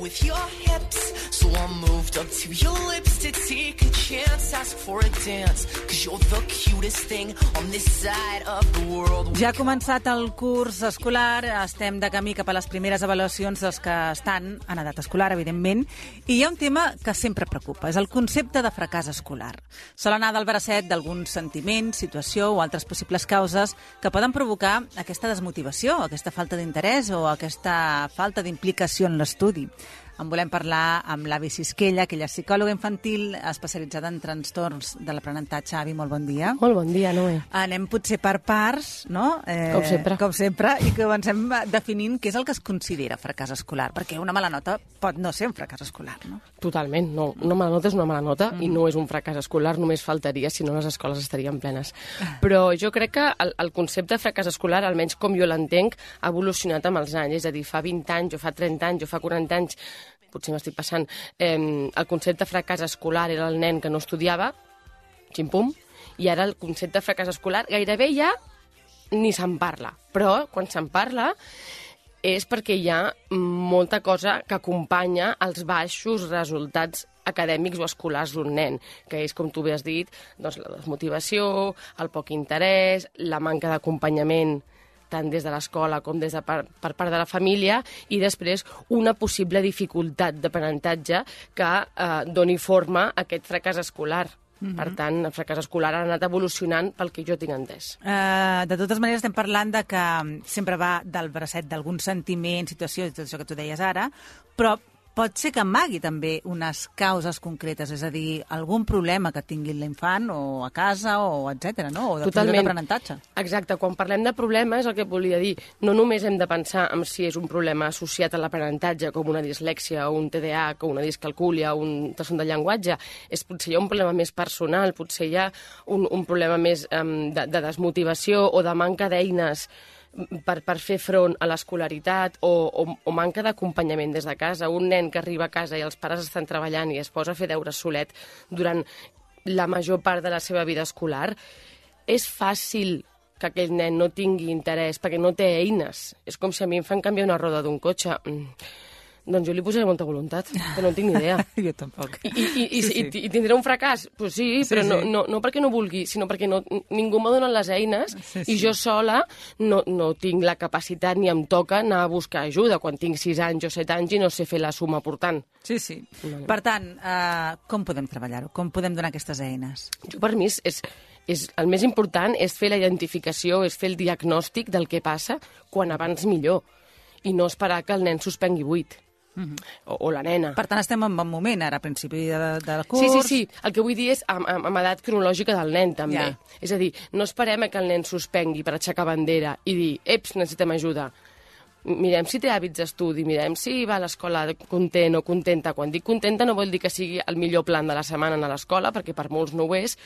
with your hips. So I moved up to your lips to take a chance, ask for a dance, 'cause you're the cutest thing on this side of the world. Ja ha començat el curs escolar, estem de camí cap a les primeres avaluacions dels que estan en edat escolar, evidentment, i hi ha un tema que sempre preocupa, és el concepte de fracàs escolar. Sol anar del bracet d'alguns sentiments, situació o altres possibles causes que poden provocar aquesta desmotivació, aquesta falta d'interès o aquesta falta d'implicació en l'estudi. En volem parlar amb l'Avi Sisquella, que ella és psicòloga infantil especialitzada en trastorns de l'aprenentatge. Avi, molt bon dia. Molt bon dia, Noé. Anem potser per parts, no? Com sempre, i comencem definint què és el que es considera fracàs escolar, perquè una mala nota pot no ser un fracàs escolar, no? Totalment, no. Una mala nota és una mala nota i no és un fracàs escolar, només faltaria, si no les escoles estarien plenes. Però jo crec que el concepte de fracàs escolar, almenys com jo l'entenc, ha evolucionat amb els anys. És a dir, fa 20 anys, o fa 30 anys, o fa 40 anys, potser m'estic passant, el concepte de fracàs escolar era el nen que no estudiava, xim-pum, i ara el concepte de fracàs escolar gairebé ja ni se'n parla. Però quan se'n parla és perquè hi ha molta cosa que acompanya els baixos resultats acadèmics o escolars d'un nen, que és, com tu bé has dit, doncs, la desmotivació, el poc interès, la manca d'acompanyament tant des de l'escola com des de per part de la família, i després una possible dificultat d'aprenentatge que doni forma a aquest fracàs escolar. Per tant, el fracàs escolar ha anat evolucionant pel que jo tinc entès. De totes maneres, estem parlant de que sempre va del bracet d'algun sentiment, situació, i tot això que tu deies ara, però pot ser que amagui també unes causes concretes, és a dir, algun problema que tingui l'infant o a casa o etcètera, no? O d'aprenentatge. Exacte, quan parlem de problema és el que volia dir. No només hem de pensar en si és un problema associat a l'aprenentatge, com una dislèxia o un TDAH o una discalcúlia o un trastorn de llenguatge, potser hi ha un problema més personal, potser hi ha un problema més de desmotivació o de manca d'eines per fer front a l'escolaritat o manca d'acompanyament des de casa. Un nen que arriba a casa i els pares estan treballant i es posa a fer deures solet durant la major part de la seva vida escolar, és fàcil que aquell nen no tingui interès perquè no té eines. És com si a mi em fan canviar una roda d'un cotxe. Doncs jo li posaré molta voluntat, però no en tinc ni idea. Jo tampoc. I tindré un fracàs? Pues sí, però no perquè no vulgui, sinó perquè ningú m'ha donat les eines i jo sola no tinc la capacitat ni em toca anar a buscar ajuda quan tinc 6 anys o 7 anys i no sé fer la suma portant. Sí. Per tant, com podem treballar-ho? Com podem donar aquestes eines? Per mi el més important és fer la identificació, és fer el diagnòstic del que passa quan abans millor i no esperar que el nen suspengui 8. O la nena. Per tant, estem en bon moment, ara, a principi del curs. Sí. El que vull dir és amb edat cronològica del nen, també. Ja. És a dir, no esperem que el nen suspengui per aixecar bandera i dir, necessitem ajuda. Mirem si té hàbits d'estudi, mirem si va a l'escola content o contenta. Quan dic contenta no vol dir que sigui el millor plan de la setmana a l'escola, perquè per molts no ho és,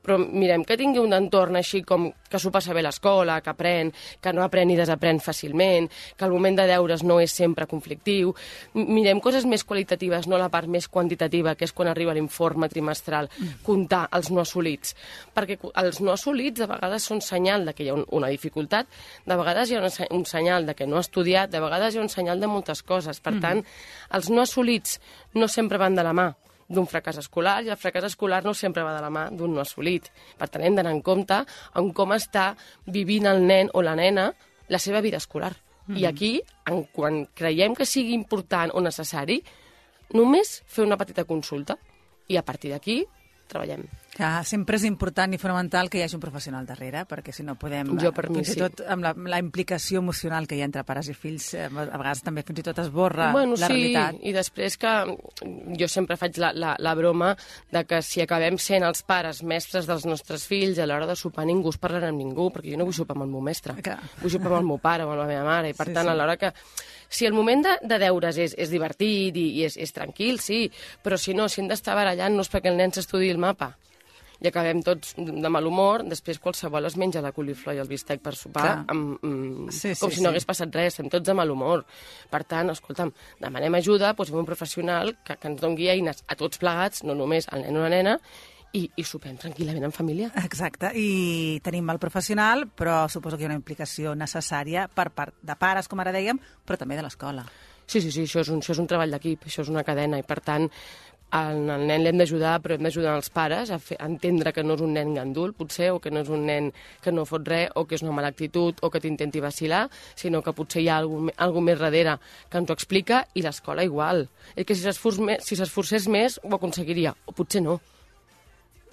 però mirem que tingui un entorn així com que s'ho passa bé a l'escola, que aprèn, que no aprèn i desaprèn fàcilment, que el moment de deures no és sempre conflictiu. Mirem coses més qualitatives, no la part més quantitativa, que és quan arriba l'informe trimestral, comptar els no assolits. Perquè els no assolits de vegades són senyal de que hi ha una dificultat, de vegades hi ha un senyal de que no ha estudiat, de vegades hi ha un senyal de moltes coses. Per tant, els no assolits no sempre van de la mà d'un fracàs escolar i el fracàs escolar no sempre va de la mà d'un no assolit. Per tant, hem d'anar en compte en com està vivint el nen o la nena la seva vida escolar. I aquí, quan creiem que sigui important o necessari, només fer una petita consulta i a partir d'aquí treballem. Que sempre és important i fonamental que hi hagi un professional darrere, perquè si no podem... Jo per mi fins i tot amb la implicació emocional que hi ha entre pares i fills, a vegades també fins i tot esborra la realitat. I després que jo sempre faig la broma de que si acabem sent els pares mestres dels nostres fills, a l'hora de sopar ningú es parlarà amb ningú, perquè jo no vull sopar amb el meu mestre, vull sopar amb el meu pare o amb la meva mare, i per tant, a l'hora que... Si el moment de deures és divertit i és tranquil, sí, però si no, si hem d'estar barallant no és perquè el nen s'estudiï el mapa i acabem tots de mal humor, després qualsevol es menja la coliflor i el bistec per sopar com si no hagués passat res, estem tots de mal humor. Per tant, escolta'm, demanem ajuda, posem un professional que ens doni eines a tots plegats, no només al nen o la nena, i sopem tranquil·lament en família. Exacte, i tenim el professional, però suposo que hi ha una implicació necessària per part de pares, com ara dèiem, però també de l'escola. Sí, això és un treball d'equip, això és una cadena, i per tant al nen l'hem d'ajudar, però hem d'ajudar els pares a entendre que no és un nen gandul, potser, o que no és un nen que no fot res, o que és una mala actitud, o que t'intenti vacilar, sinó que potser hi ha alguna més darrere que ens ho explica, i l'escola igual. És que si s'esforcés més, ho aconseguiria, o potser no.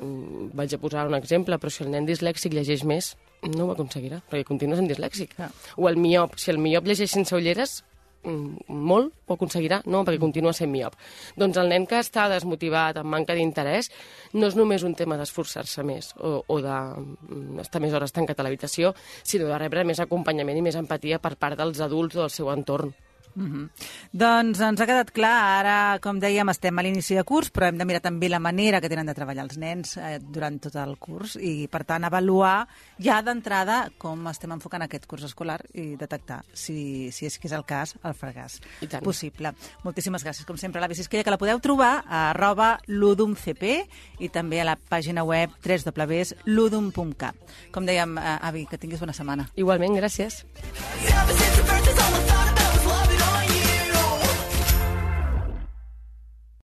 Vaig a posar un exemple, però si el nen dislèxic llegeix més, no ho aconseguirà, perquè continua sent dislèxic. O el miop, si el miop llegeix sense ulleres, molt ho aconseguirà, no, perquè continua sent miop. Doncs el nen que està desmotivat, amb manca d'interès, no és només un tema d'esforçar-se més o d'estar més hores tancat a l'habitació, sinó de rebre més acompanyament i més empatia per part dels adults o del seu entorn. Doncs ens ha quedat clar, ara, com dèiem, estem a l'inici de curs, però hem de mirar també la manera que tenen de treballar els nens durant tot el curs i, per tant, avaluar ja d'entrada com estem enfocant aquest curs escolar i detectar, si és que és el cas, el fracàs possible. Moltíssimes gràcies, com sempre, a l'Avi Sisquella, que la podeu trobar a @ludumcp i també a la pàgina web www.ludum.cat. Com dèiem, Avi, que tinguis bona setmana. Igualment, gràcies.